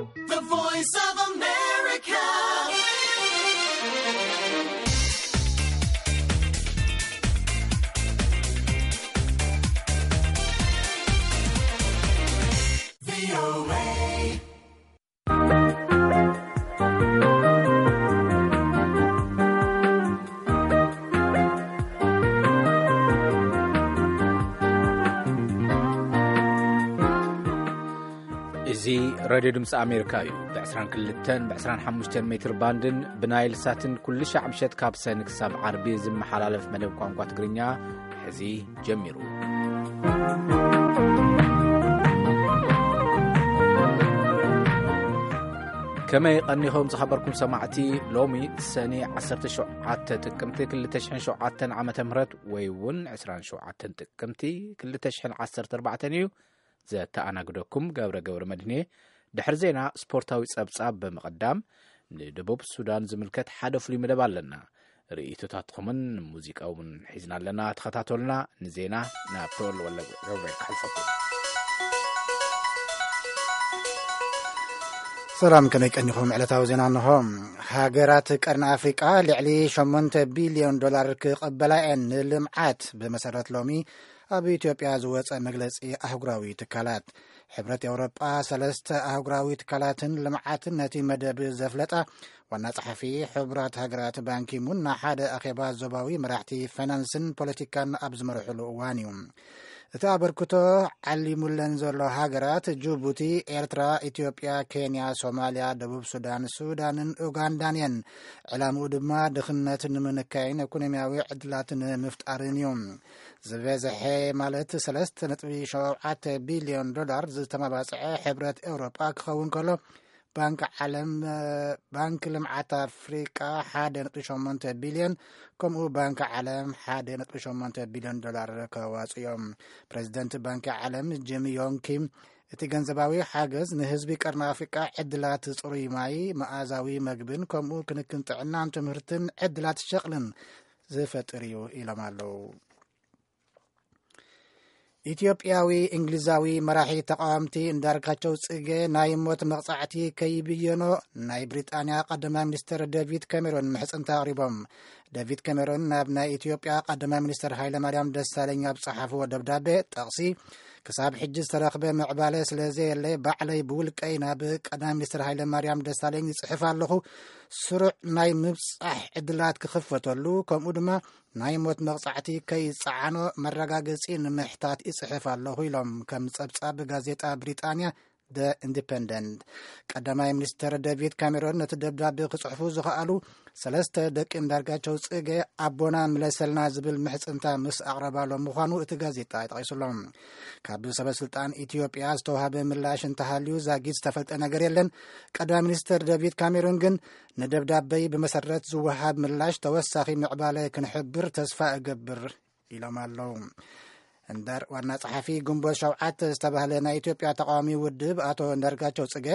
The Voice of America. እዚ ሬድዮ ድምፂ ኣሜሪካ እዩ። ብ22 ብ25 ሜትር ባንድን ብናይል ሳትን ኩሉ ሻዕ ምሸት ካብ ሰኒ ክሳብ ዓርቢ ዝመሓላለፍ መደብ ቋንቋ ትግርኛ ሕዚ ጀሚሩ። ከመይ ቀኒኹም ዝኸበርኩም ሰማዕቲ? ሎሚ ሰኒ 17 ጥቅምቲ 2007 ዓመተ ምህረት ወይ እውን 27 ጥቅምቲ 2014 እዩ። ዘተኣናግደኩም ገብረ ገብረ መድህኔ። ድሕሪ ዜና ስፖርታዊ ጸብጻብ ብምቕዳም ንደቡብ ሱዳን ዝምልከት ሓደ ፍሉይ መደብ ኣለና። ርእይቶታትኩምን ሙዚቃ እውን ሒዝና ኣለና። ተኸታተሉና። ንዜና ናብ ተወልወለ ገብረ ክሕልፈኩም። ሰላም፣ ከመይ ቀኒኹም? ዕለታዊ ዜና እንሆ። ሃገራት ቀርኒ ኣፍሪቃ ልዕሊ 8 ቢልዮን ዶላር ክቕበላ እየን ንልምዓት፣ ብመሰረት ሎሚ ኣብ ኢትዮጵያ ዝወጸ መግለጺ ኣህጉራዊ ትካላት። ሕብረት ኤውሮጳ ሰለስተ ኣህጉራዊ ትካላትን ልምዓትን ነቲ መደብ ዘፍለጣ ዋና ጸሓፊ ሕቡራት ሃገራት ባንኪሙን ንሓደ ኣኼባ ዞባዊ መራሕቲ ፋይናንስን ፖለቲካን ኣብ ዝመርሕሉ እዋን እዩ። እቲ ኣበርክቶ ዓሊሙለን ዘሎ ሃገራት ጅቡቲ፣ ኤርትራ፣ ኢትዮጵያ፣ ኬንያ፣ ሶማልያ፣ ደቡብ ሱዳን፣ ሱዳንን ኡጋንዳን እየን። ዕላምኡ ድማ ድኽነት ንምንካይን ኢኮኖሚያዊ ዕድላት ንምፍጣርን እዩ። ዝበዝሐ ማለት 3.7 ቢልዮን ዶላር ዝተመባጽዐ ሕብረት ኤውሮጳ ክኸውን ከሎ፣ ባንክ ዓለም፣ ባንክ ልምዓት ኣፍሪቃ 1.8 ቢልዮን፣ ከምኡ ባንክ ዓለም 1.8 ቢልዮን ዶላር ከዋጽኡ እዮም። ፕሬዚደንት ባንክ ዓለም ጂም ዮንግ ኪም፣ እቲ ገንዘባዊ ሓገዝ ንህዝቢ ቀርኒ ኣፍሪቃ ዕድላት ጽሩይ ማይ፣ መኣዛዊ መግብን ከምኡ ክንክን ጥዕናን ትምህርትን ዕድላት ሸቕልን ዝፈጥር እዩ ኢሎም ኣለዉ። ኢትዮጵያዊ እንግሊዛዊ መራሒ ተቃወምቲ እንዳርጋቸው ጽጌ ናይ ሞት መቕጻዕቲ ከይብየኖ ናይ ብሪጣንያ ቀዳማይ ሚኒስትር ዴቪድ ካሜሮን ምሕጽንታ ኣቕሪቦም። ዴቪድ ካሜሮን ናብ ናይ ኢትዮጵያ ቀዳማይ ሚኒስትር ሃይለማርያም ደሳለኝ ኣብ ጸሓፍዎ ደብዳቤ ጠቕሲ፣ ክሳብ ሕጂ ዝተረኽበ ምዕባለ ስለ ዘየለ ባዕለይ ብውልቀይ ናብ ቀዳማይ ሚኒስትር ሃይለማርያም ደሳለኝ ይጽሕፍ ኣለኹ። ስሩዕ ናይ ምብጻሕ ዕድላት ክኽፈተሉ፣ ከምኡ ድማ ናይ ሞት መቕጻዕቲ ከይጸዓኖ መረጋገጺ ንምሕታት ይጽሕፍ ኣለኹ ኢሎም ከም ጸብጻብ ጋዜጣ ብሪጣንያ ደ ኢንዲፐንደንት። ቀዳማይ ሚኒስትር ዴቪድ ካሜሮን ነቲ ደብዳቤ ክጽሕፉ ዝኸኣሉ ሰለስተ ደቂ እንዳርጋቸው ጽገ ኣቦና ምለሰልና ዝብል ምሕጽንታ ምስ ኣቕረባሎም ምዃኑ እቲ ጋዜጣ ይጠቒሱሎም። ካብ ሰበ ስልጣን ኢትዮጵያ ዝተዋሃበ ምላሽ እንተሃልዩ ዛጊት ዝተፈልጠ ነገር የለን። ቀዳማይ ሚኒስትር ዴቪድ ካሜሮን ግን ንደብዳበይ ብመሰረት ዝወሃብ ምላሽ ተወሳኺ ምዕባለ ክንሕብር ተስፋ እገብር ኢሎም ኣለዉ። እንዳር ዋና ጸሓፊ ግንቦት ሸውዓተ ዝተባህለ ናይ ኢትዮጵያ ተቃዋሚ ውድብ ኣቶ እንዳርጋቸው ጽገ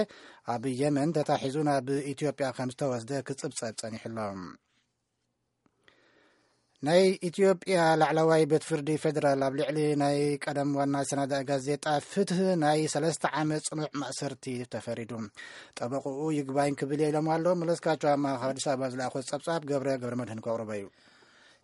ኣብ የመን ተታሒዙ ናብ ኢትዮጵያ ከም ዝተወስደ ክጽብጸብ ጸኒሑ ኣሎ። ናይ ኢትዮጵያ ላዕለዋይ ቤት ፍርዲ ፌደራል ኣብ ልዕሊ ናይ ቀደም ዋና ሰናዳኢ ጋዜጣ ፍትህ ናይ ሰለስተ ዓመት ጽኑዕ ማእሰርቲ ተፈሪዱ። ጠበቕኡ ይግባኝ ክብል እየ ኢሎም ኣሎ። መለስካቸው ኣማ ካብ ኣዲስ ኣበባ ዝለኣኾ ጸብጻብ ገብረ ገብረ መድህን ከቕርቦ እዩ።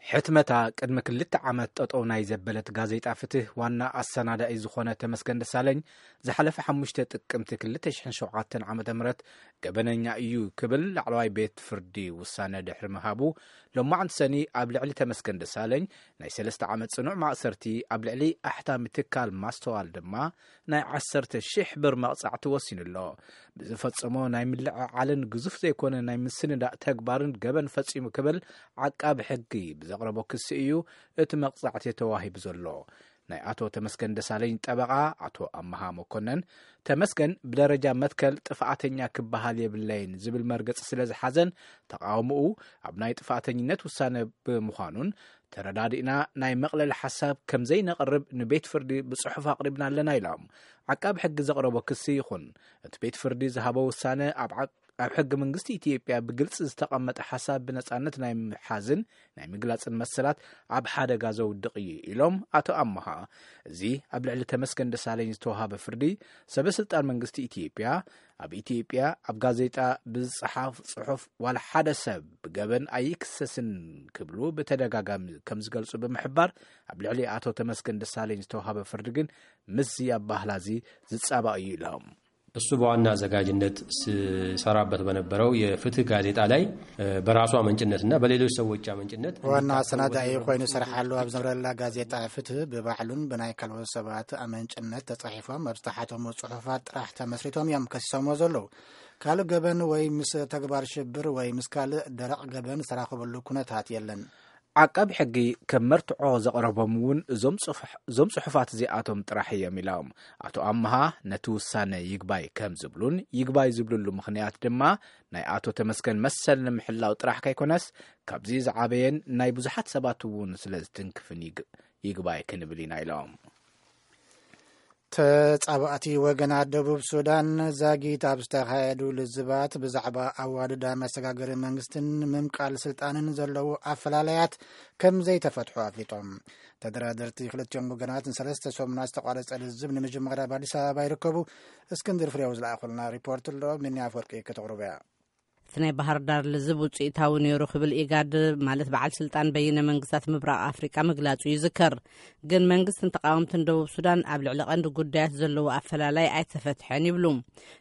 ሕትመታ ቅድሚ ክልተ ዓመት ጠጠው ናይ ዘበለት ጋዜጣ ፍትህ ዋና ኣሰናዳኢ ዝኾነ ተመስገን ደሳለኝ ዝሓለፈ ሓሙሽተ ጥቅምቲ 2007 ዓመተ ምህረት ገበነኛ እዩ ክብል ላዕለዋይ ቤት ፍርዲ ውሳነ ድሕሪ ምሃቡ፣ ሎማዕንቲ ሰኒ ኣብ ልዕሊ ተመስገን ደሳለኝ ናይ ሰለስተ ዓመት ጽኑዕ ማእሰርቲ፣ ኣብ ልዕሊ ኣሕታሚ ትካል ማስተዋል ድማ ናይ 10,000 ብር መቕጻዕቲ ወሲኑ ኣሎ። ብዝፈጸሞ ናይ ምልዕዓልን ግዙፍ ዘይኮነ ናይ ምስንዳእ ተግባርን ገበን ፈጺሙ ክብል ዓቃቢ ሕጊ ብዘቕረቦ ክሲ እዩ እቲ መቕጻዕቲ ተዋሂቡ ዘሎ። ናይ ኣቶ ተመስገን ደሳለኝ ጠበቓ ኣቶ ኣመሃ መኮነን፣ ተመስገን ብደረጃ መትከል ጥፍኣተኛ ክበሃል የብለይን ዝብል መርገጺ ስለ ዝሓዘን ተቓውሞኡ ኣብ ናይ ጥፍኣተኝነት ውሳነ ብምዃኑን ተረዳዲእና ናይ መቕለሊ ሓሳብ ከም ዘይነቕርብ ንቤት ፍርዲ ብጽሑፍ ኣቕሪብና ኣለና ኢሎም። ዓቃቢ ሕጊ ዘቕረቦ ክሲ ይኹን እቲ ቤት ፍርዲ ዝሃቦ ውሳነ ኣብ ዓ- ኣብ ሕገ መንግስቲ ኢትዮጵያ ብግልፂ ዝተቐመጠ ሓሳብ ብነፃነት ናይ ምሓዝን ናይ ምግላፅን መሰላት ኣብ ሓደጋ ዘውድቕ እዩ ኢሎም ኣቶ ኣመሃ። እዚ ኣብ ልዕሊ ተመስገን ደሳለኝ ዝተዋሃበ ፍርዲ፣ ሰበ ስልጣን መንግስቲ ኢትዮጵያ ኣብ ኢትዮጵያ ኣብ ጋዜጣ ብዝፀሓፍ ፅሑፍ ዋላ ሓደ ሰብ ብገበን ኣይክሰስን ክብሉ ብተደጋጋሚ ከም ዝገልፁ ብምሕባር፣ ኣብ ልዕሊ ኣቶ ተመስገን ደሳለኝ ዝተዋሃበ ፍርዲ ግን ምስዚ ኣባህላ እዚ ዝፃባእ እዩ ኢሎም። እሱ በዋና አዘጋጅነት ሲሰራበት በነበረው የፍትህ ጋዜጣ ላይ በራሱ አመንጭነትና በሌሎች ሰዎች አመንጭነት ዋና አሰናዳኢ ኮይኑ ይሰርሓሉ ኣብ ዝነበረላ ጋዜጣ ፍትህ ብባዕሉን ብናይ ካልኦት ሰባት ኣመንጭነት ተጻሒፎም ኣብ ዝተሓተሙ ጽሑፋት ጥራሕ ተመስሪቶም እዮም ከሲሶምዎ ዘለዉ። ካልእ ገበን ወይ ምስ ተግባር ሽብር ወይ ምስ ካልእ ደረቕ ገበን ዝተራኸበሉ ኩነታት የለን። ዓቃቢ ሕጊ ከም መርትዖ ዘቕረቦም እውን እዞም ጽሑፋት እዚኣቶም ጥራሕ እዮም ኢሎም። ኣቶ ኣመሃ ነቲ ውሳነ ይግባይ ከም ዝብሉን ይግባይ ዝብልሉ ምኽንያት ድማ ናይ ኣቶ ተመስገን መሰል ንምሕላው ጥራሕ ከይኮነስ ካብዚ ዝዓበየን ናይ ብዙሓት ሰባት እውን ስለ ዝትንክፍን ይግባይ ክንብል ኢና ኢሎም። ተጻባእቲ ወገናት ደቡብ ሱዳን ዛጊት ኣብ ዝተኻየዱ ልዝባት ብዛዕባ ኣዋድዳ መሰጋገሪ መንግስትን ምምቃል ስልጣንን ዘለዉ ኣፈላለያት ከም ዘይተፈትሑ ኣፍሊጦም። ተደራደርቲ ክልቲኦም ወገናት ንሰለስተ ሰሙናት ዝተቋረጸ ልዝብ ንምጅማር ኣብ ኣዲስ ኣበባ ይርከቡ። እስክንድር ፍሬው ዝለኣኹልና ሪፖርት ኣሎ፣ ሚኒ ኣፈወርቂ ከተቕርቦ እያ። እቲ ናይ ባህር ዳር ልዝብ ውፅኢታዊ ነይሩ ክብል ኢጋድ ማለት በዓል ስልጣን በይነ መንግስታት ምብራቕ ኣፍሪቃ ምግላጹ ይዝከር። ግን መንግስትን ተቃወምትን ደቡብ ሱዳን ኣብ ልዕሊ ቀንዲ ጉዳያት ዘለዎ ኣፈላላይ ኣይተፈትሐን ይብሉ።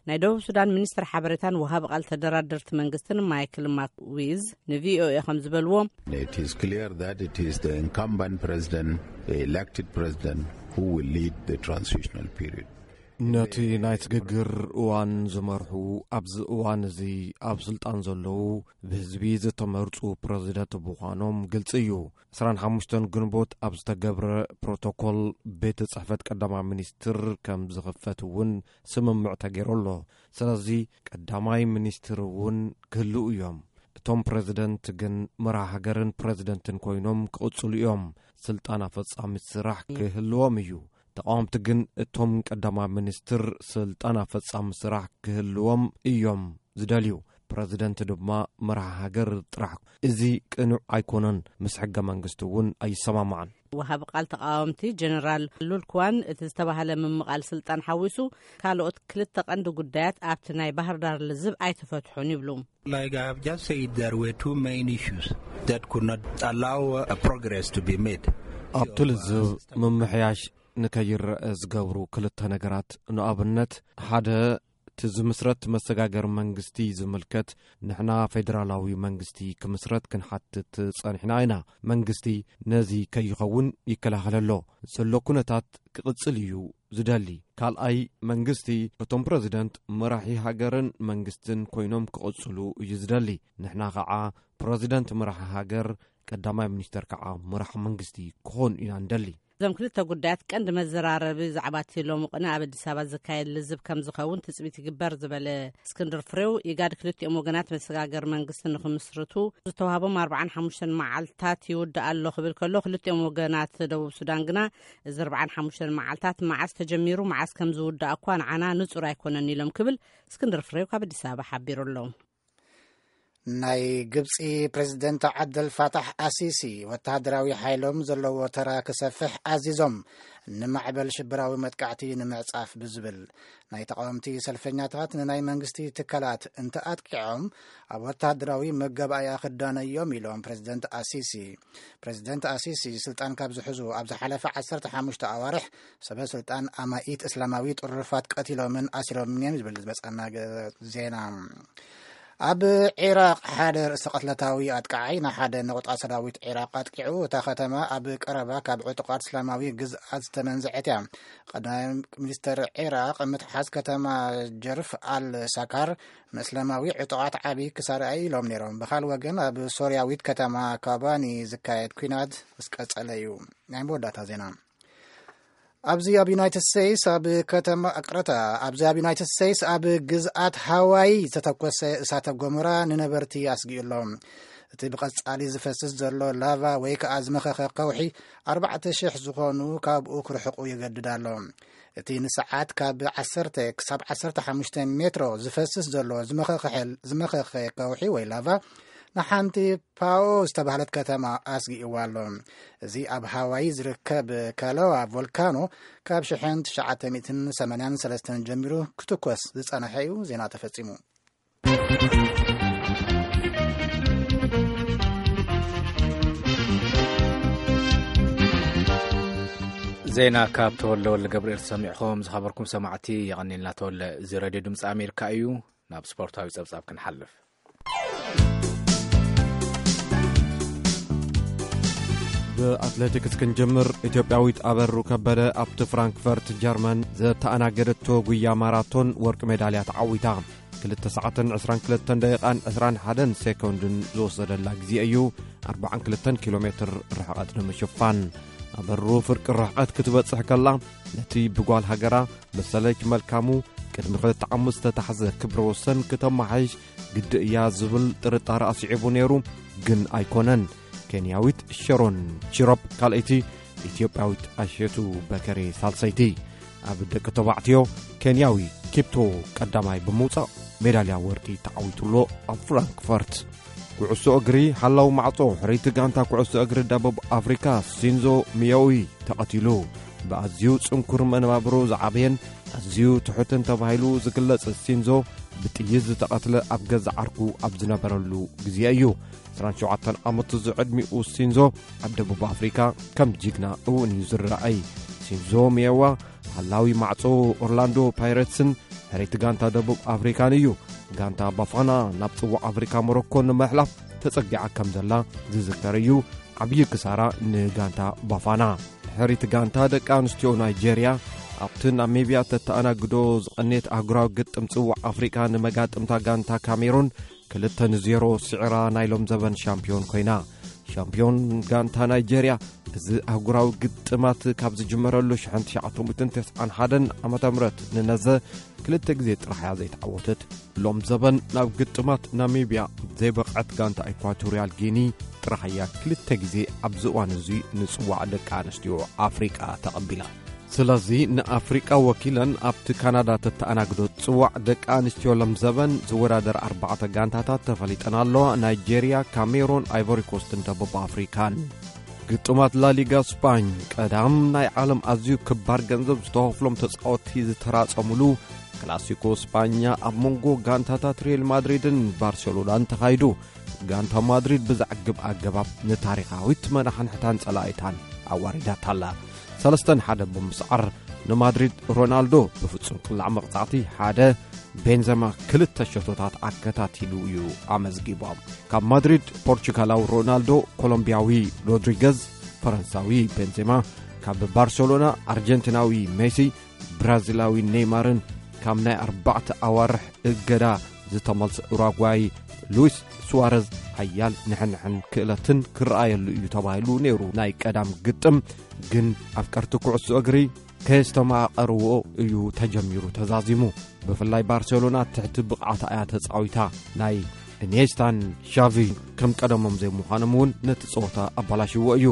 ናይ ደቡብ ሱዳን ሚኒስትር ሓበሬታን ወሃቢ ቃል ተደራደርቲ መንግስትን ማይክል ማክዊዝ ንቪኦኤ ከም ዝበልዎ፣ It is clear that it is the incumbent president, the elected president, who will lead the transitional period. ነቲ ናይ ስግግር እዋን ዝመርሑ ኣብዚ እዋን እዚ ኣብ ስልጣን ዘለዉ ብህዝቢ ዝተመርጹ ፕረዚደንት ምዃኖም ግልጺ እዩ። ዕስራን ሓሙሽተን ግንቦት ኣብ ዝተገብረ ፕሮቶኮል ቤት ጽሕፈት ቀዳማይ ሚኒስትር ከም ዝኽፈት እውን ስምምዕ ተገይሩ ኣሎ። ስለዚ ቀዳማይ ሚኒስትር እውን ክህልው እዮም። እቶም ፕረዚደንት ግን መራሒ ሃገርን ፕረዚደንትን ኮይኖም ክቕጽሉ እዮም። ስልጣን ኣፈጻሚ ስራሕ ክህልዎም እዩ። ተቓወምቲ ግን እቶም ቀዳማይ ሚኒስትር ስልጣን ኣፈጻሚ ስራሕ ክህልዎም እዮም ዝደልዩ። ፕረዚደንት ድማ መራሒ ሃገር ጥራሕ። እዚ ቅኑዕ ኣይኮነን፣ ምስ ሕገ መንግስቲ እውን ኣይሰማማዕን። ወሃቢ ቃል ተቃወምቲ ጀነራል ሉልክዋን እቲ ዝተባህለ ምምቓል ስልጣን ሓዊሱ ካልኦት ክልተ ቀንዲ ጉዳያት ኣብቲ ናይ ባህር ዳር ልዝብ ኣይተፈትሑን ይብሉ። Like I have just said, there were two main issues that could not allow a progress to be made. ኣብቲ ልዝብ ምምሕያሽ ንከይረአ ዝገብሩ ክልተ ነገራት፣ ንኣብነት ሓደ እቲ ዝምስረት መሰጋገሪ መንግስቲ ዝምልከት ንሕና ፌደራላዊ መንግስቲ ክምስረት ክንሓትት ጸኒሕና ኢና። መንግስቲ ነዚ ከይኸውን ይከላኸል ኣሎ። ዘሎ ኩነታት ክቕጽል እዩ ዝደሊ። ካልኣይ መንግስቲ እቶም ፕረዚደንት መራሒ ሃገርን መንግስትን ኮይኖም ክቕጽሉ እዩ ዝደሊ። ንሕና ኸዓ ፕረዚደንት መራሒ ሃገር፣ ቀዳማይ ሚኒስተር ከዓ መራሕ መንግስቲ ክኾኑ ኢና ንደሊ። እዞም ክልተ ጉዳያት ቀንዲ መዘራረቢ ዛዕባ እቲ ሎሚ ቅነ ኣብ ኣዲስ ኣበባ ዝካየድ ልዝብ ከም ዝኸውን ትፅቢት ይግበር ዝበለ እስክንድር ፍሬው፣ ኢጋድ ክልቲኦም ወገናት መሰጋገር መንግስቲ ንክምስርቱ ዝተዋህቦም ኣርባዓን ሓሙሽተን መዓልታት ይውዳእ ኣሎ ክብል ከሎ፣ ክልቲኦም ወገናት ደቡብ ሱዳን ግና እዚ ኣርባዓን ሓሙሽተን መዓልታት መዓስ ተጀሚሩ መዓስ ከም ዝውዳእ እኳ ንዓና ንጹር ኣይኮነን ኢሎም ክብል እስክንድር ፍሬው ካብ ኣዲስ ኣበባ ሓቢሩ ኣሎ። ናይ ግብጺ ፕሬዝደንት ዓብደል ፋታሕ ኣሲሲ ወተሃደራዊ ሓይሎም ዘለዎ ተራ ክሰፍሕ ኣዚዞም፣ ንማዕበል ሽበራዊ መጥቃዕቲ ንምዕጻፍ ብዝብል። ናይ ተቓወምቲ ሰልፈኛታት ንናይ መንግስቲ ትካላት እንተኣጥቂዖም ኣብ ወተሃደራዊ መጋባእያ ክዳነዮም ኢሎም ፕሬዝደንት ኣሲሲ። ፕሬዝደንት ኣሲሲ ስልጣን ካብ ዝሕዙ ኣብ ዝሓለፈ ዓሰርተ ሓሙሽተ ኣዋርሕ ሰበ ስልጣን ኣማኢት እስላማዊ ጥሩፋት ቀቲሎምን ኣሲሮምን እዮም ዝብል ዝበጻና ዜና። ኣብ ዒራቕ ሓደ ርእሰ ቅትለታዊ ኣጥቃዓይ ንሓደ ነቑጣ ሰራዊት ዒራቕ ኣጥቂዑ። እታ ከተማ ኣብ ቀረባ ካብ ዕጡቓት እስላማዊ ግዝኣት ዝተመንዝዐት እያ። ቀዳማይ ሚኒስተር ዒራቕ ምትሓዝ ከተማ ጀርፍ ኣል ሳካር ንእስላማዊ ዕጡቓት ዓቢ ክሳራ እዩ ኢሎም ነይሮም። ብኻል ወገን ኣብ ሶርያዊት ከተማ ካባኒ ዝካየድ ኲናት ምስ ቀጸለ እዩ። ናይ መወዳእታ ዜና። ኣብዚ ኣብ ዩናይትድ ስቴትስ ኣብ ከተማ ቅረታ ኣብዚ ኣብ ዩናይትድ ስቴትስ ኣብ ግዝኣት ሃዋይ ዝተተኮሰ እሳተ ጎመራ ንነበርቲ ኣስጊኡ ኣሎ። እቲ ብቐጻሊ ዝፈስስ ዘሎ ላቫ ወይ ከኣ ዝመኸኸ ከውሒ ኣርባዕተ ሽሕ ዝኾኑ ካብኡ ክርሕቁ ይገድድ ኣሎ። እቲ ንሰዓት ካብ ዓሰርተ ክሳብ ዓሰርተ ሓሙሽተ ሜትሮ ዝፈስስ ዘሎ ዝመኸኸ ከውሒ ወይ ላቫ ንሓንቲ ፓኦ ዝተባህለት ከተማ ኣስጊእዋ ኣሎ። እዚ ኣብ ሃዋይ ዝርከብ ካሎዋ ቮልካኖ ካብ ሽሕን ትሽዓተ ሚእትን ሰማንያን ሰለስተን ጀሚሩ ክትኮስ ዝጸንሐ እዩ። ዜና ተፈጺሙ። ዜና ካብ ተወልደ ወልደ ገብርኤል ሰሚዕኹም ዝኸበርኩም ሰማዕቲ የቐኒልና። ተወልደ፣ እዚ ሬድዮ ድምፂ ኣሜሪካ እዩ። ናብ ስፖርታዊ ጸብጻብ ክንሓልፍ። ብኣትሌቲክስ ክንጅምር። ኢትዮጵያዊት ኣበሩ ከበደ ኣብቲ ፍራንክፈርት ጀርመን ዘተኣናገደቶ ጉያ ማራቶን ወርቂ ሜዳልያ ተዓዊታ። ክልተ ሰዓትን ዕስራን ክልተን ደቂቓን ዕስራን ሓደን ሴኮንድን ዝወሰደላ ግዜ እዩ፣ ኣርባዓን ክልተን ኪሎ ሜትር ርሕቐት ንምሽፋን። ኣበሩ ፍርቂ ርሕቐት ክትበጽሕ ከላ፣ ነቲ ብጓል ሃገራ መሰለች መልካሙ ቅድሚ ክልተ ዓመት ዝተታሕዘ ክብረ ወሰን ክተመሓይሽ ግዲ እያ ዝብል ጥርጣረ ኣስዒቡ ነይሩ፣ ግን ኣይኮነን። ኬንያዊት ሸሮን ቺሮፕ ካልኣይቲ፣ ኢትዮጵያዊት ኣሸቱ በከሬ ሳልሰይቲ። ኣብ ደቂ ተባዕትዮ ኬንያዊ ኪፕቶ ቀዳማይ ብምውጻእ ሜዳልያ ወርቂ ተዓዊቱሎ ኣብ ፍራንክፈርት። ኩዕሶ እግሪ ሓላው ማዕጾ ሕርይቲ ጋንታ ኩዕሶ እግሪ ደቡብ ኣፍሪካ ሲንዞ ሚዮዊ ተቐቲሉ። ብኣዝዩ ጽንኩር መነባብሮ ዝዓበየን ኣዝዩ ትሑትን ተባሂሉ ዝግለጽ ሲንዞ ብጥይት ዝተቐትለ ኣብ ገዛ ዓርኩ ኣብ ዝነበረሉ ግዜ እዩ። ዕስራን ሸውዓተን ዓመቱ ዝዕድሚኡ ሲንዞ ኣብ ደቡብ ኣፍሪካ ከም ጅግና እውን እዩ ዝረኣይ። ሲንዞ ሚየዋ ሃላዊ ማዕጾ ኦርላንዶ ፓይረትስን ሕርይቲ ጋንታ ደቡብ ኣፍሪካን እዩ። ጋንታ ባፋና ናብ ጽዋዕ ኣፍሪካ ሞሮኮ ንምሕላፍ ተጸጊዓ ከም ዘላ ዝዝከር እዩ። ዓብዪ ክሳራ ንጋንታ ባፋና። ሕርይቲ ጋንታ ደቂ ኣንስትዮ ናይጄርያ ኣብቲ ናሚብያ ተተኣናግዶ ዝቐኔት ኣህጉራዊ ግጥም ጽዋዕ ኣፍሪቃ ንመጋጥምታ ጋንታ ካሜሩን ክልተ ንዜሮ ስዒራ ናይ ሎም ዘበን ሻምፒዮን ኮይና። ሻምፒዮን ጋንታ ናይጄርያ እዚ ኣህጉራዊ ግጥማት ካብ ዝጅመረሉ ሽሕን ትሽዓተ ሚእትን ተስዓን ሓደን ዓመተ ምህረት ንነዘ ክልተ ግዜ ጥራሕ እያ ዘይተዓወተት። ሎም ዘበን ናብ ግጥማት ናሚብያ ዘይበቕዐት ጋንታ ኢኳቶርያል ጊኒ ጥራሕ እያ ክልተ ግዜ ኣብዚ እዋን እዚ ንጽዋዕ ደቂ ኣንስትዮ ኣፍሪቃ ተቐቢላ። ስለዚ ንኣፍሪቃ ወኪለን ኣብቲ ካናዳ ተተኣናግዶ ጽዋዕ ደቂ ኣንስትዮ ሎም ዘበን ዝወዳደር ኣርባዕተ ጋንታታት ተፈሊጠን ኣለዋ፣ ናይጄርያ፣ ካሜሮን፣ ኣይቮሪኮስትን ደቡብ ኣፍሪካን። ግጥማት ላሊጋ ስፓኝ ቀዳም ናይ ዓለም ኣዝዩ ክባር ገንዘብ ዝተኸፍሎም ተጻወትቲ ዝተራጸሙሉ ክላሲኮ ስፓኛ ኣብ መንጎ ጋንታታት ሪል ማድሪድን ባርሴሎናን ተኻይዱ። ጋንታ ማድሪድ ብዘዕግብ ኣገባብ ንታሪኻዊት መናሕንሕታን ጸላኢታን ኣዋሪዳታ ኣላ። ሰለስተ ንሓደ ብምስዓር ንማድሪድ ሮናልዶ ብፍጹም ቅላዕ መቕጻዕቲ ሓደ፣ ቤንዘማ ክልተ ሸቶታት ኣከታቲሉ እዩ ኣመዝጊቦም። ካብ ማድሪድ ፖርቹጋላዊ ሮናልዶ፣ ኮሎምቢያዊ ሮድሪገዝ፣ ፈረንሳዊ ቤንዜማ፣ ካብ ባርሴሎና ኣርጀንቲናዊ ሜሲ፣ ብራዚላዊ ኔይማርን ካብ ናይ ኣርባዕተ ኣዋርሕ እገዳ ዝተመልሰ ኡራጓይ ሉዊስ ሱዋረዝ ሓያል ንሕንሕን ክእለትን ክረኣየሉ እዩ ተባሂሉ ነይሩ። ናይ ቀዳም ግጥም ግን ኣፍቀርቲ ኩዕሶ እግሪ ከየስተማቐርዎ እዩ ተጀሚሩ ተዛዚሙ። ብፍላይ ባርሴሎና ትሕቲ ብቕዓታ እያ ተጻዊታ። ናይ ኢኒየስታን ሻቪ ከም ቀደሞም ዘይምዃኖም እውን ነቲ ጸወታ ኣባላሽዎ እዩ።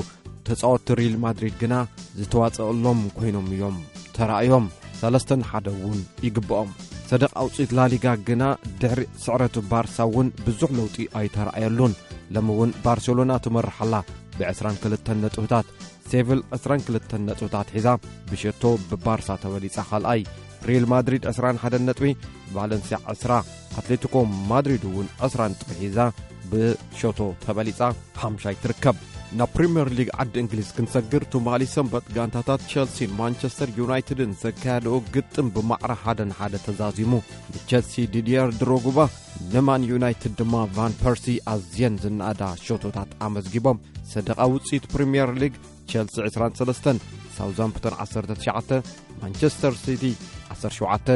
ተጻወትቲ ሪል ማድሪድ ግና ዝተዋጸኣሎም ኮይኖም እዮም ተራእዮም። ሰለስተ ንሓደ እውን ይግብኦም። ሰደቓ ውጽኢት ላሊጋ ግና ድሕሪ ስዕረቱ ባርሳ እውን ብዙሕ ለውጢ ኣይተራእየሉን። ሎሚ እውን ባርሴሎና ትመርሕ ኣላ ብዕስራን ክልተን ነጥብታት። ሴቪል ዕስራን ክልተን ነጥብታት ሒዛ ብሸቶ ብባርሳ ተበሊጻ ካልኣይ። ሪል ማድሪድ ዕስራን ሓደን ነጥቢ፣ ቫለንሲያ ዕስራ፣ ኣትሌቲኮ ማድሪድ እውን ዕስራ ነጥቢ ሒዛ ብሸቶ ተበሊጻ ሓምሻይ ትርከብ። ናብ ፕሪምየር ሊግ ዓዲ እንግሊዝ ክንሰግር፣ ትማሊ ሰንበት ጋንታታት ቸልሲን ማንቸስተር ዩናይትድን ዘካየደኦ ግጥም ብማዕረ ሓደ ንሓደ ተዛዚሙ። ንቸልሲ ዲድየር ድሮጉባ፣ ንማን ዩናይትድ ድማ ቫን ፐርሲ ኣዝየን ዝነኣዳ ሸቶታት ኣመዝጊቦም። ሰደቓ ውጽኢት ፕሪምየር ሊግ፣ ቸልሲ ዕስራን ሰለስተን፣ ሳውዛምፕተን ዓሰርተ ትሽዓተ፣ ማንቸስተር ሲቲ ዓሰርተ ሸውዓተ፣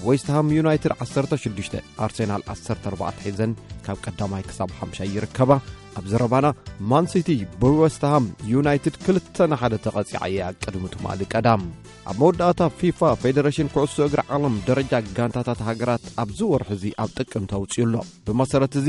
ዌስትሃም ዩናይትድ ዓሰርተ ሽዱሽተ፣ ኣርሴናል ዓሰርተ ኣርባዕተ ሒዘን ካብ ቀዳማይ ክሳብ ሓምሻይ ይርከባ። ኣብ ዘረባና ማን ሲቲ ብዌስትሃም ዩናይትድ ክልተ ንሓደ ተቐጺዓ እያ ቅድሚ ትማሊ ቀዳም። ኣብ መወዳእታ ፊፋ ፌደሬሽን ኩዕሶ እግሪ ዓለም ደረጃ ጋንታታት ሃገራት ኣብዚ ወርሒ እዚ ኣብ ጥቅምቲ ኣውጺኡ ኣሎ። ብመሰረት እዚ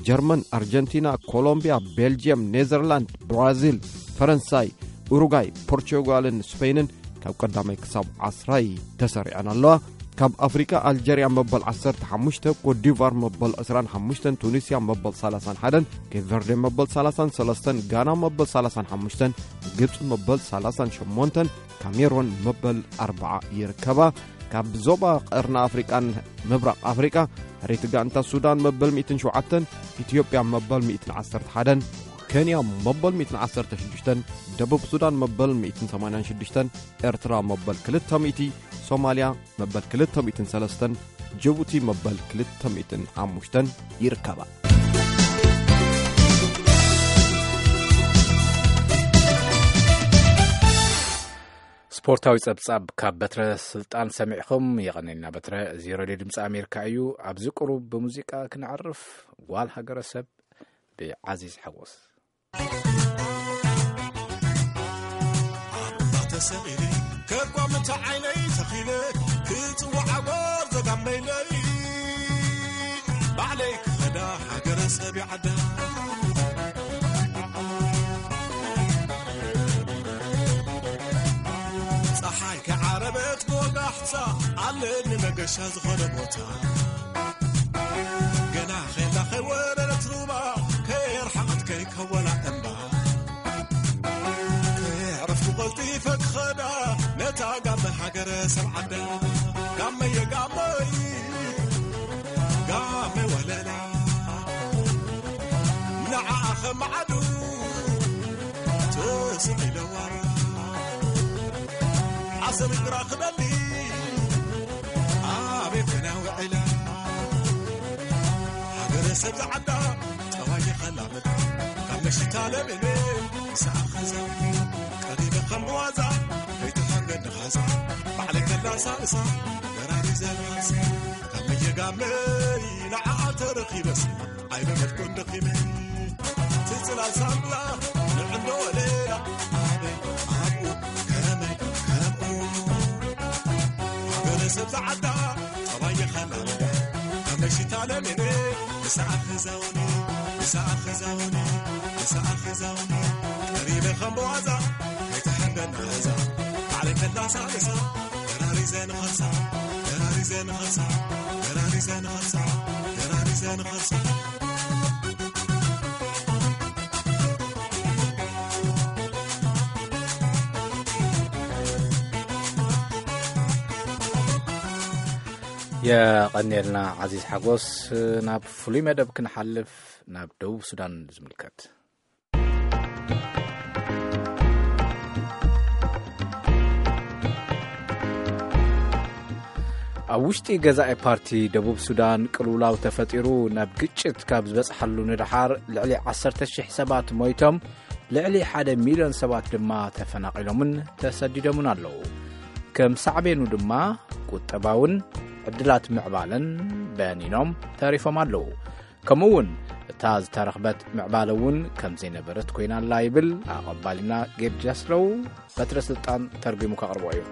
ጀርመን፣ ኣርጀንቲና፣ ኮሎምቢያ፣ ቤልጅየም፣ ኔዘርላንድ፣ ብራዚል፣ ፈረንሳይ፣ ኡሩጋይ፣ ፖርቹጋልን ስፔንን ካብ ቀዳማይ ክሳብ ዓስራይ ተሰሪዐን ኣለዋ። ካብ ኣፍሪቃ ኣልጀርያ መበል ዓሰርተ ሓሙሽተ፣ ኮትዲቫር መበል ዕስራን ሓሙሽተን፣ ቱኒስያ መበል ሰላሳን ሓደን፣ ኬፕ ቨርዴ መበል ሰላሳን ሰለስተን፣ ጋና መበል ሰላሳን ሓሙሽተን፣ ግብፂ መበል ሰላሳን ሸሞንተን፣ ካሜሮን መበል ኣርባዓ ይርከባ። ካብ ዞባ ቀርኒ ኣፍሪቃን ምብራቕ ኣፍሪቃ፣ ሕሪቲ ጋንታ ሱዳን መበል ሚእትን ሸውዓተን፣ ኢትዮጵያ መበል ሚእትን ዓሰርተ ሓደን፣ ኬንያ መበል ሚእትን ዓሰርተ ሽዱሽተን፣ ደቡብ ሱዳን መበል ሚእትን ሰማንያን ሽዱሽተን፣ ኤርትራ መበል ክልተ ሚእቲ፣ ሶማልያ መበል ክልተ ሚእትን ሰለስተን፣ ጅቡቲ መበል ክልተ ሚእትን ሓሙሽተን ይርከባ። ስፖርታዊ ጸብጻብ ካብ በትረ ስልጣን ሰሚዕኹም። የቐኔልና በትረ። እዚ ሬድዮ ድምፂ ኣሜሪካ እዩ። ኣብዚ ቁሩብ ብሙዚቃ ክነዕርፍ። ጓል ሃገረሰብ ብዓዚዝ ሓጎስ። ኣባ ተሰቒለ ከቋምቲ ዓይነይ ተኺለ ክጽዋዕ ጎርዞ ጋመይለይ ባዕለይ ክኸዳ ሃገረ ሰብ ይዓዳ። ጸሓይ ከዓረበት ብወጋሕታ ኣለኒ መገሻ ዝኾነ ቦታ። ገና ኼላ ከይወረደት ሩባ ከየርሓቐት ከይከወላ እምባ። ከየዕረፍኩ ቀልጢፈ ክኸዳ ነታ ጋመ ሃገረ ሰብ ዓዳ። ጋመየ ጋመይ ጋመ ወለላ ንዓኣ ኸማዓዱ ተስቕ ኢለዋ ዓሰብ ግራ ክበሊ ኣቤት ክና ውዕላ ሃገረ ሰብ ዝዓዳ ጠባይ ይኸላመድ ካብ መሽታ ለቤኔ ምሳኣ ኸዛ ቀሪበ ከም ብዋዛ ከይትሓንገድ ንኻዛ ባዕለይ ከላሳልሳ በራሪ ዘላሳ ካብ መየጋመይ ንዓኣ ተረኺበስ ኣይበለድኩን ደኺመ ትጽላል ሳምላ ንዕንዶ ወለላ ኣበይ ኣብኡ ከመይ ከምኡ ሃገረ ሰብ ዝዓዳ ጠባይ የኸላልዳ ከመይ ሽታ ለሜነ ንስኣ ክዛውኒ ንስኣ ክዛውኒ ንስኣ ክዛውኒ ቀሪበ ከም ብዋዛ ከይትሓንገድ ንኻዛ ባዕለይ ከላሳልሳ የቐንየልና ዓዚዝ ሓጎስ። ናብ ፍሉይ መደብ ክንሓልፍ፣ ናብ ደቡብ ሱዳን ዝምልከት። ኣብ ውሽጢ ገዛኢ ፓርቲ ደቡብ ሱዳን ቅልውላው ተፈጢሩ ናብ ግጭት ካብ ዝበጽሓሉ ንደሓር ልዕሊ ዓሰርተ ሺሕ ሰባት ሞይቶም፣ ልዕሊ ሓደ ሚልዮን ሰባት ድማ ተፈናቒሎምን ተሰዲዶምን ኣለዉ። ከም ሳዕቤኑ ድማ ቁጠባውን ዕድላት ምዕባለን በኒኖም ተሪፎም ኣለዉ። ከምኡ እውን እታ ዝተረኽበት ምዕባለ እውን ከም ዘይነበረት ኮይና ኣላ ይብል ኣቐባሊና ጌድ ጃስረው። በትረ ስልጣን ተርጒሙ ከቕርቦ እዩ።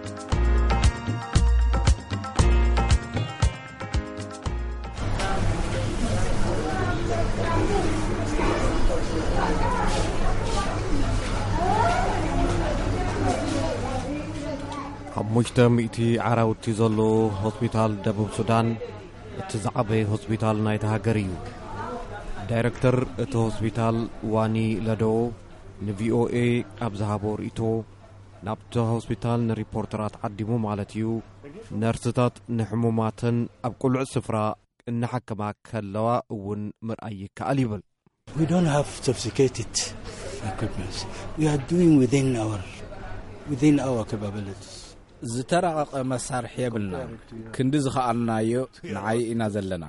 ሓሙሽተ ሚእቲ ዓራውቲ ዘለዎ ሆስፒታል ደቡብ ሱዳን እቲ ዝዓበየ ሆስፒታል ናይታ ሃገር እዩ። ዳይረክተር እቲ ሆስፒታል ዋኒ ለዶ ንቪኦኤ ኣብ ዝሃቦ ርእይቶ፣ ናብቲ ሆስፒታል ንሪፖርተራት ዓዲሙ ማለት እዩ፣ ነርስታት ንሕሙማተን ኣብ ቅሉዕ ስፍራ እናሓከማ ከለዋ እውን ምርኣይ ይከኣል ይብል። We don't have sophisticated equipments. We are doing within our, within our capabilities. ዝተራቐቐ መሳርሒ የብልና። ክንዲ ዝኸኣልናዮ ንዓይ ኢና ዘለና።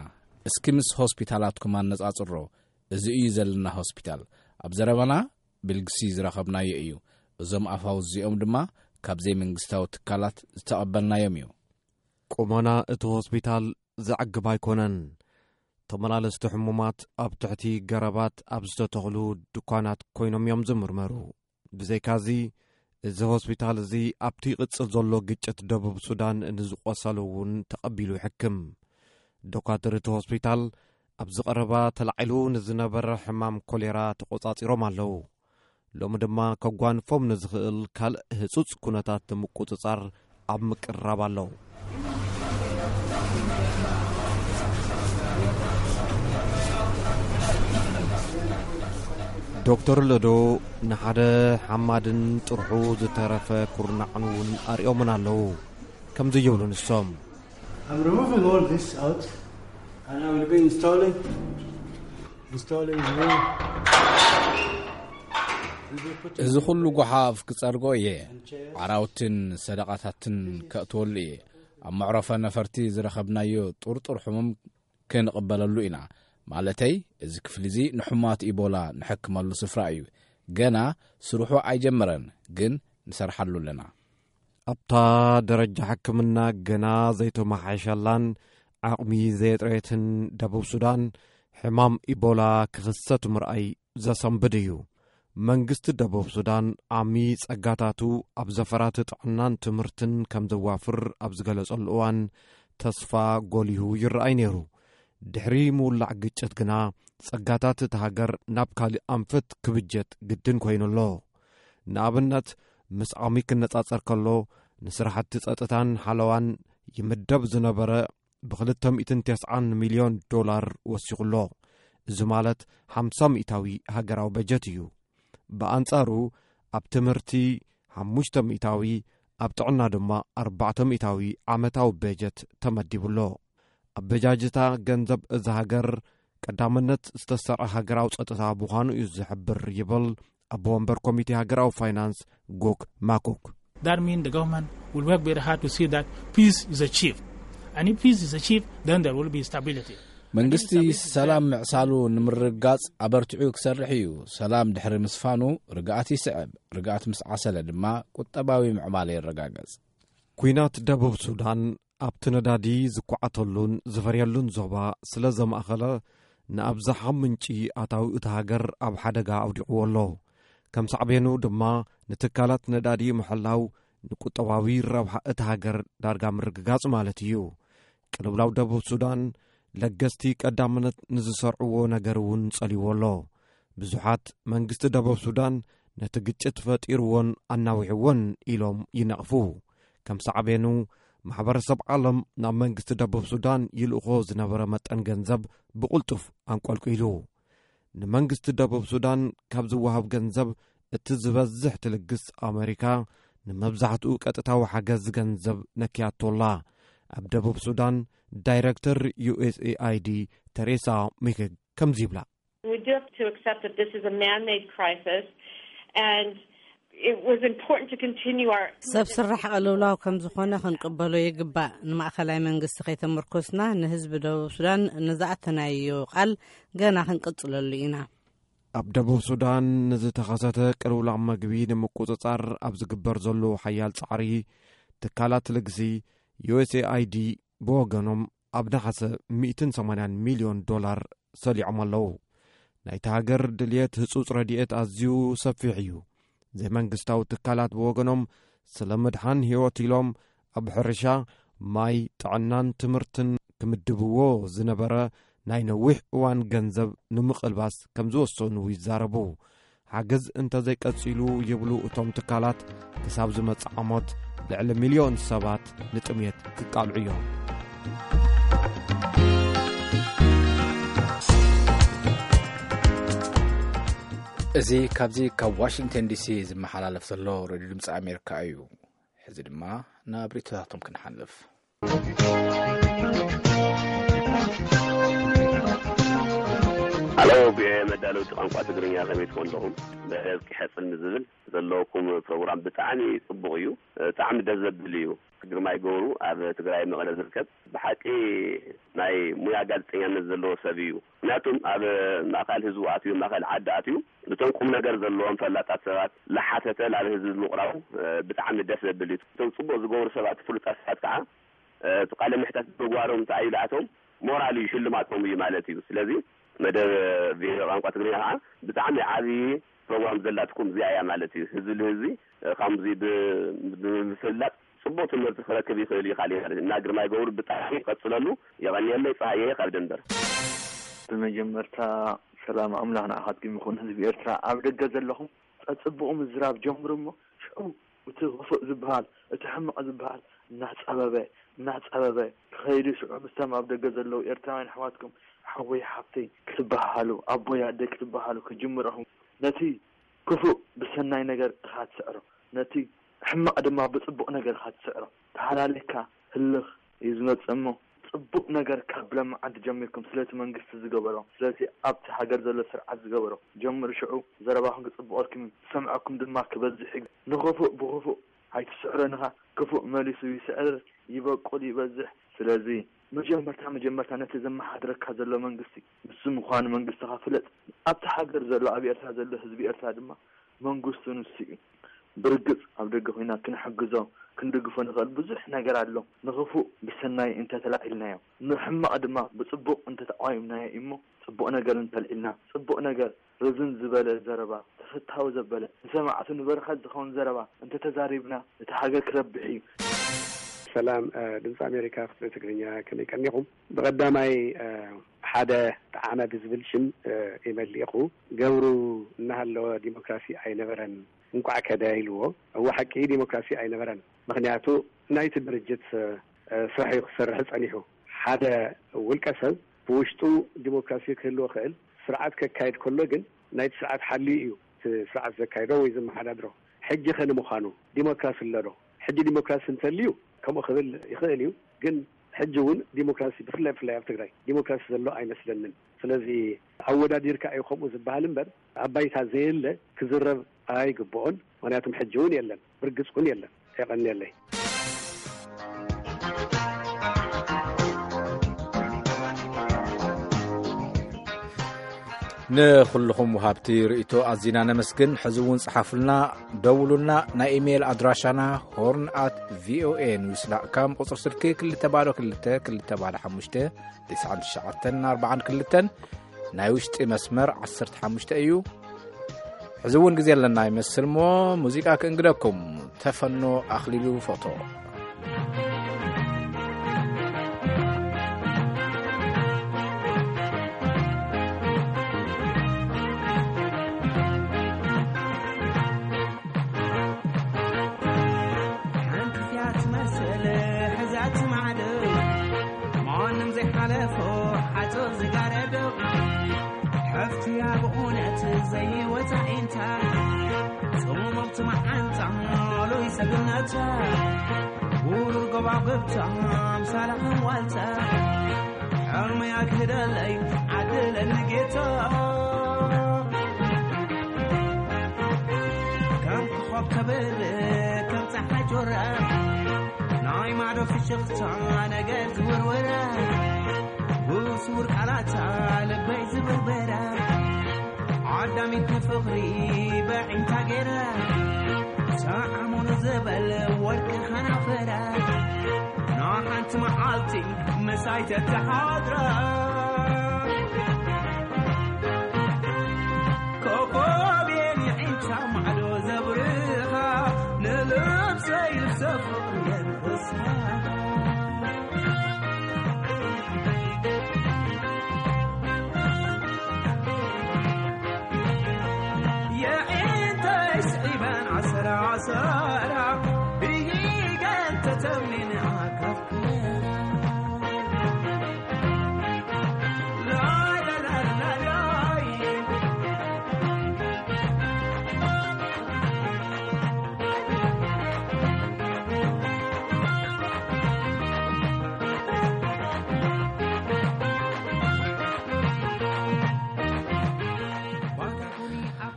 እስኪ ምስ ሆስፒታላትኩም ኣነጻጽሮ። እዚ እዩ ዘለና ሆስፒታል። ኣብ ዘረባና ብልግሲ ዝረኸብናዮ እዩ። እዞም ኣፋውስ እዚኦም ድማ ካብ ዘይመንግስታዊ ትካላት ዝተቐበልናዮም እዩ። ቁመና እቲ ሆስፒታል ዘዕግብ ኣይኮነን። ተመላለስቲ ሕሙማት ኣብ ትሕቲ ገረባት ኣብ ዝተተኽሉ ድኳናት ኮይኖም እዮም ዝምርመሩ። ብዘይካዚ፣ እዚ ሆስፒታል እዚ ኣብቲ ይቕጽል ዘሎ ግጭት ደቡብ ሱዳን ንዝቖሰሉ እውን ተቐቢሉ ይሕክም። ዶካትር እቲ ሆስፒታል ኣብዚ ቀረባ ተላዒሉ ንዝነበረ ሕማም ኮሌራ ተቖጻጺሮም ኣለዉ። ሎሚ ድማ ከጓንፎም ንዝኽእል ካልእ ህጹጽ ኩነታት ንምቁጽጻር ኣብ ምቅርራብ ኣለዉ። ዶክተር ለዶ ንሓደ ሓማድን ጥርሑ ዝተረፈ ኩርናዕን እውን ኣርእዮምን ኣለዉ። ከምዚ ይብሉ ንሶም። I'm removing all this out and I will be installing, installing new. Will be putting እዚ ኩሉ ጓሓፍ ክጸርጎ እየ። ዓራውትን ሰደቓታትን ከእትወሉ እየ። ኣብ መዕረፎ ነፈርቲ ዝረኸብናዮ ጥርጡር ሕሙም ክንቕበለሉ ኢና። ማለተይ፣ እዚ ክፍሊ እዚ ንሕሙማት ኢቦላ ንሕክመሉ ስፍራ እዩ። ገና ስርሑ ኣይጀመረን፣ ግን ንሰርሓሉ ኣለና። ኣብታ ደረጃ ሕክምና ገና ዘይተመሓየሸላን ዓቕሚ ዘየጥረየትን ደቡብ ሱዳን፣ ሕማም ኢቦላ ክኽሰት ምርኣይ ዘሰንብድ እዩ። መንግስቲ ደቡብ ሱዳን ዓሚ ጸጋታቱ ኣብ ዘፈራት ጥዕናን ትምህርትን ከም ዘዋፍር ኣብ ዝገለጸሉ እዋን፣ ተስፋ ጎሊሁ ይረኣይ ነይሩ። ድሕሪ ምውላዕ ግጭት ግና፣ ጸጋታት እታ ሃገር ናብ ካልእ ኣንፈት ክብጀት ግድን ኮይኑ ኣሎ። ንኣብነት፣ ምስ ዓሚ ክነጻጸር ከሎ፣ ንስራሕቲ ጸጥታን ሓለዋን ይምደብ ዝነበረ ብክልተ ሚእትን ተስዓን ሚልዮን ዶላር ወሲኹ ኣሎ። እዚ ማለት ሓምሳ ሚእታዊ ሃገራዊ በጀት እዩ። ብኣንጻሩ፣ ኣብ ትምህርቲ ሓሙሽተ ሚእታዊ፣ ኣብ ጥዕና ድማ ኣርባዕተ ሚእታዊ ዓመታዊ በጀት ተመዲቡ ኣሎ። ኣበጃጅታ ገንዘብ እዛ ሃገር ቀዳምነት ዝተሰርዐ ሃገራዊ ጸጥታ ምዃኑ እዩ ዝሕብር ይብል ኣቦ ወንበር ኮሚቴ ሃገራዊ ፋይናንስ ጉክ ማኩክ። That means the government will work very hard to see that peace is achieved. And if peace is achieved, then there will be stability. መንግስቲ ሰላም ምዕሳሉ ንምርግጋጽ ኣበርቲዑ ክሰርሕ እዩ። ሰላም ድሕሪ ምስፋኑ ርግኣት ይስዕብ። ርግኣት ምስ ዓሰለ ድማ ቁጠባዊ ምዕባለ ይረጋገጽ። ኲናት ደቡብ ሱዳን ኣብቲ ነዳዲ ዝኳዓተሉን ዝፈርየሉን ዞባ ስለ ዘማእኸለ፣ ንኣብዝሓ ምንጪ ኣታዊ እታ ሃገር ኣብ ሓደጋ ኣውዲቕዎ ኣሎ። ከም ሳዕቤኑ ድማ፣ ንትካላት ነዳዲ ምሕላው ንቁጠባዊ ረብሓ እታ ሃገር ዳርጋ ምርግጋጽ ማለት እዩ። ቅልውላው ደቡብ ሱዳን፣ ለገስቲ ቀዳምነት ንዝሰርዕዎ ነገር እውን ጸልይዎ ኣሎ። ብዙሓት፣ መንግስቲ ደቡብ ሱዳን ነቲ ግጭት ፈጢርዎን ኣናዊሕዎን ኢሎም ይነቕፉ። ከም ሳዕቤኑ፣ ማሕበረሰብ ዓለም ናብ መንግስቲ ደቡብ ሱዳን ይልእኾ ዝነበረ መጠን ገንዘብ ብቕልጡፍ ኣንቆልቂሉ። ንመንግስቲ ደቡብ ሱዳን ካብ ዝወሃብ ገንዘብ እቲ ዝበዝሕ ትልግስ ኣመሪካ፣ ንመብዛሕትኡ ቀጥታዊ ሓገዝ ገንዘብ ነክያቶ ኣላ። ኣብ ደቡብ ሱዳን ዳይረክተር ዩ ኤስ ኤ ኣይ ዲ ተሬሳ ሚክግ ከምዚ ይብላ። We do have to accept that this is a man-made crisis, and it was important to continue our ሰብ ስራሕ ቅልውላው ከም ዝኾነ ክንቅበሎ ይግባእ። ንማእከላይ መንግስቲ ከይተመርኮስና፣ ንህዝቢ ደቡብ ሱዳን ንዝኣተናዮ ቃል ገና ክንቅጽለሉ ኢና። ኣብ ደቡብ ሱዳን ንዝተኸሰተ ቅልውላው መግቢ ንምቁጽጻር ኣብ ዝግበር ዘሎ ሓያል ጻዕሪ፣ ትካላት ልግሲ ዩ ኤስ ኤ ኣይ ዲ ብወገኖም ኣብ ነሓሰ ሚእትን ሰማንያን ሚልዮን ዶላር ሰሊዖም ኣለዉ። ናይታ ሃገር ድልየት ህጹጽ ረድኤት ኣዝዩ ሰፊሕ እዩ። ዘይመንግስታዊ ትካላት ብወገኖም፣ ስለ ምድሓን ህይወት ኢሎም ኣብ ሕርሻ፣ ማይ፣ ጥዕናን ትምህርትን ክምድብዎ ዝነበረ ናይ ነዊሕ እዋን ገንዘብ ንምቕልባስ ከም ዝወሰኑ ይዛረቡ። ሓገዝ እንተዘይቀጺሉ ይብሉ እቶም ትካላት፣ ክሳብ ዝመጽእ ዓሞት ልዕሊ ሚልዮን ሰባት ንጥምየት ክቃልዑ እዮም። እዚ ካብዚ ካብ ዋሽንግተን ዲ ሲ ዝመሓላለፍ ዘሎ ሬድዮ ድምፂ ኣሜሪካ እዩ። ሕዚ ድማ ናብ ርእይቶታቶም ክንሓልፍ። ሃሎ፣ ብመዳለውቲ ቋንቋ ትግርኛ ከመይ ትኾን ኣለኹም? በረዝቂ ሕፅን ዝብል ዘለውኩም ፕሮግራም ብጣዕሚ ጽቡቕ እዩ። ብጣዕሚ ደስ ዘብል እዩ። ግርማይ ገብሩ ኣብ ትግራይ መቐለ ዝርከብ ብሓቂ ናይ ሙያ ጋዜጠኛነት ዘለዎ ሰብ እዩ። ምክንያቱም ኣብ ማእኸል ህዝቡ ኣትዩ፣ ማእኸል ዓዲ ኣትዩ፣ ነቶም ቁም ነገር ዘለዎም ፈላጣት ሰባት ላሓተተ ናብ ህዝቢ ምቕራቡ፣ እ፣ ብጣዕሚ ደስ ዘብል እዩ። እቶም ጽቡቕ ዝገብሩ ሰባት፣ ፍሉጣት ሰባት ከዓ፣ እ፣ እቲ ቃለ ምሕታት ምግባሮም እንታይ እዩ ለኣቶም ሞራል እዩ፣ ሽልማቶም እዩ ማለት እዩ። ስለዚ መደብ ቪኦኤ ቋንቋ ትግርኛ ከዓ ብጣዕሚ ዓብዪ ፕሮግራም ዘላትኩም እዚኣ እያ ማለት እዩ። ህዝቢ ንህዝቢ፣ እ፣ ከምዚ ብ-፣ ብምፍላጥ ጽቡቕ ትምህርቲ ክረክብ ይኽእል እዩ ካሊእ ማለት እዩ። እና ግርማይ ገብሩ ብጣዕሚ ቀጽለሉ። የቐንየለይ። ጸሃየ ካብ ደንበር። ብመጀመርታ ሰላም ኣምላኽ ንዓኻትኩም ይኹን። ህዝቢ ኤርትራ ኣብ ደገ ዘለኹም ኣጽብቑ ምዝራብ ጀምሩ እሞ፣ ሽዑ እቲ ክፉእ ዝበሃል፣ እቲ ሕማቕ ዝበሃል እናጸበበ፣ እናጸበበ ክኸይዱ፣ ሽዑ ምስቶም ኣብ ደገ ዘለዉ ኤርትራውያን ኣሕዋትኩም ሓወይ ሓፍተይ ክትበሃሃሉ፣ ኣቦይ ኣደይ ክትበሃሃሉ ክጅምሩ ኢኹም። ነቲ ክፉእ ብሰናይ ነገር ኢኻ ትስዕሮ፣ ነቲ ሕማቕ ድማ ብጽቡቕ ነገር ኢኻ ትስዕሮ። ተሃላሊኽካ ህልኽ እዩ ዝመጽእ እሞ፣ ጽቡቕ ነገር ካብ ለመዓንቲ ጀሚርኩም ስለቲ መንግስቲ ዝገበሮ፣ ስለቲ ኣብቲ ሃገር ዘሎ ስርዓት ዝገበሮ ጀምሩ። ሽዑ ዘረባኹም ክጽብቐልኩም እዩ፣ ዝሰምዐኩም ድማ ክበዝሕ እዩ። ንኽፉእ ብኽፉእ ኣይትስዕሮ፣ ንኻ ክፉእ መሊሱ ይስዕር፣ ይበቁል፣ ይበዝሕ። ስለዚ መጀመርታ መጀመርታ ነቲ ዘመሓድረካ ዘሎ መንግስቲ ንሱ ምዃኑ መንግስትኻ ፍለጥ። ኣብቲ ሃገር ዘሎ፣ ኣብ ኤርትራ ዘሎ ህዝቢ ኤርትራ ድማ መንግስቱ ንሱ እዩ። ብርግጽ ኣብ ደገ ኮይና ክንሕግዞ፣ ክንድግፎ ንኽእል ብዙሕ ነገር ኣሎ። ንኽፉእ ብሰናይ እንተተላዒልናዮ፣ ንሕማቕ ድማ ብጽቡቕ እንተተቓዊምናዮ እሞ፣ ጽቡቕ ነገር እንተልዒልና፣ ጽቡቕ ነገር፣ ርዝን ዝበለ ዘረባ፣ ተፈታዊ ዘበለ፣ ንሰማዕቱ ንበረኸት ዝኸውን ዘረባ እንተተዛሪብና፣ እቲ ሃገር ክረብሕ እዩ። ሰላም፣ እ፣ ድምፂ ኣሜሪካ ክፍሊ ትግርኛ፣ ከመይ ቀኒኹም? ብቐዳማይ፣ እ፣ ሓደ ጠዓመ ብዝብል ሽም፣ እ፣ ኢመይል ልኢኹ። ገብሩ እናሃለወ ዲሞክራሲ ኣይነበረን፣ እንቋዕ ከደ ኢልዎ። እወ፣ ሓቂ ዲሞክራሲ ኣይነበረን። ምኽንያቱ ናይቲ ድርጅት፣ እ፣ ስራሕ እዩ ክሰርሕ ጸኒሑ። ሓደ ውልቀ ሰብ ብውሽጡ ዲሞክራሲ ክህልዎ ክእል፣ ስርዓት ከካይድ ከሎ ግን ናይቲ ስርዓት ሓልዩ እዩ እቲ ስርዓት ዘካይዶ ወይ ዘመሓዳድሮ። ሕጂ ከ ንምዃኑ ዲሞክራሲ ኣሎ ዶ? ሕጂ ዲሞክራሲ እንተልዩ ከምኡ ክብል ይኽእል እዩ፣ ግን ሕጂ እውን ዲሞክራሲ ብፍላይ ብፍላይ ኣብ ትግራይ ዲሞክራሲ ዘሎ ኣይመስለንን። ስለዚ ኣወዳዲርካ እዩ ከምኡ ዝበሃል እምበር ኣብ ባይታ ዘየለ ክዝረብ ኣይግብኦን። ምኽንያቱም ሕጂ እውን የለን፣ ብርግጽ እውን የለን። የቐንየለይ። ንኹልኹም ወሃብቲ ርእይቶ ኣዚና ነመስግን። ሕዚ እውን ጸሓፉልና፣ ደውሉልና። ናይ ኢሜይል ኣድራሻና ሆርን ኣት ቪኦኤ ኒውስ ዳት ካም፣ ቁጽሪ ስልኪ ክልተ ባዶ ክልተ ክልተ ባዶ ሓሙሽተ፣ ትስዓን ትሽዓተን ኣርባዓን ክልተን፣ ናይ ውሽጢ መስመር ዓሰርተ ሓሙሽተ እዩ። ሕዚ እውን ግዜ ኣለና ይመስል እሞ፣ ሙዚቃ ክእንግደኩም። ተፈኖ ኣኽሊሉ፣ ፎቶ። ሓንቲ እያ ትመስል ሕዛት ማዕዶ፣ ማንም ዘይሓለፎ ሓጹር ዝጋረዶ። ሓፍትያ ብእውነት ዘይወታ ኢንታ፣ ጽሙምቲ መዓንጣ ሉይ ሰብነታ፣ ውሩር ጎባጉብታ ኣምሳላ ዋልታ፣ ሕልመይ ኣግህደለይ ዓድለኒ ጌታ። ከም ኮኾብ ተብርህ ከም ጸሓይ ጆራ፣ ናይ ማዶ ፍሽኽታ ነገር ዝውርውራ፣ ብስውር ቃላታ ልበይ ዝብርበራ፣ ዓዳሚት ንፍቕሪ በዒንታ ገይራ፣ ሰዓሙኑ ዝበል ወርቂ ኸናፈራ፣ ንሓንቲ መዓልቲ ምሳይ ተተሓድራ። ኮኾብ የንዒንታ ማዕዶ ዘብርኻ፣ ንልብሰይ ልብሰ ፍቕሪ የልብሳ። የዒንተይ ስዒበን ዓሰራ ዓሰራ፣ ብሂገን ተተምኒን ኣካፍኩ።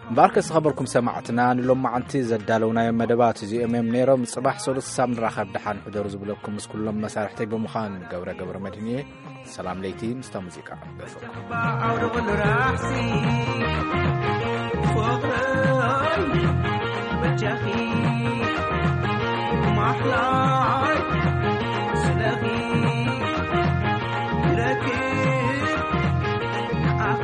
እምበኣርከ ዝኸበርኩም ሰማዕትና፣ ንሎማዓንቲ ዘዳለውናዮም መደባት እዚኦም እዮም ነይሮም። ጽባሕ ሰሉስ ክሳብ ንራኸብ ደሓን ሕደሩ ዝብለኩም ምስ ኩሎም መሳርሕተይ ብምዃን ገብረ ገብረ መድህን እየ። ሰላም ለይቲ ምስታ ሙዚቃ ገፈኩም። ኣውደ ኩሉ ራሕሲ ፍቕረይ በጃኺ ማሕላይ ስለኺ ረኪብ ንዓኺ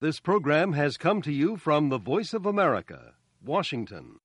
This program has come to you from the Voice of America, Washington.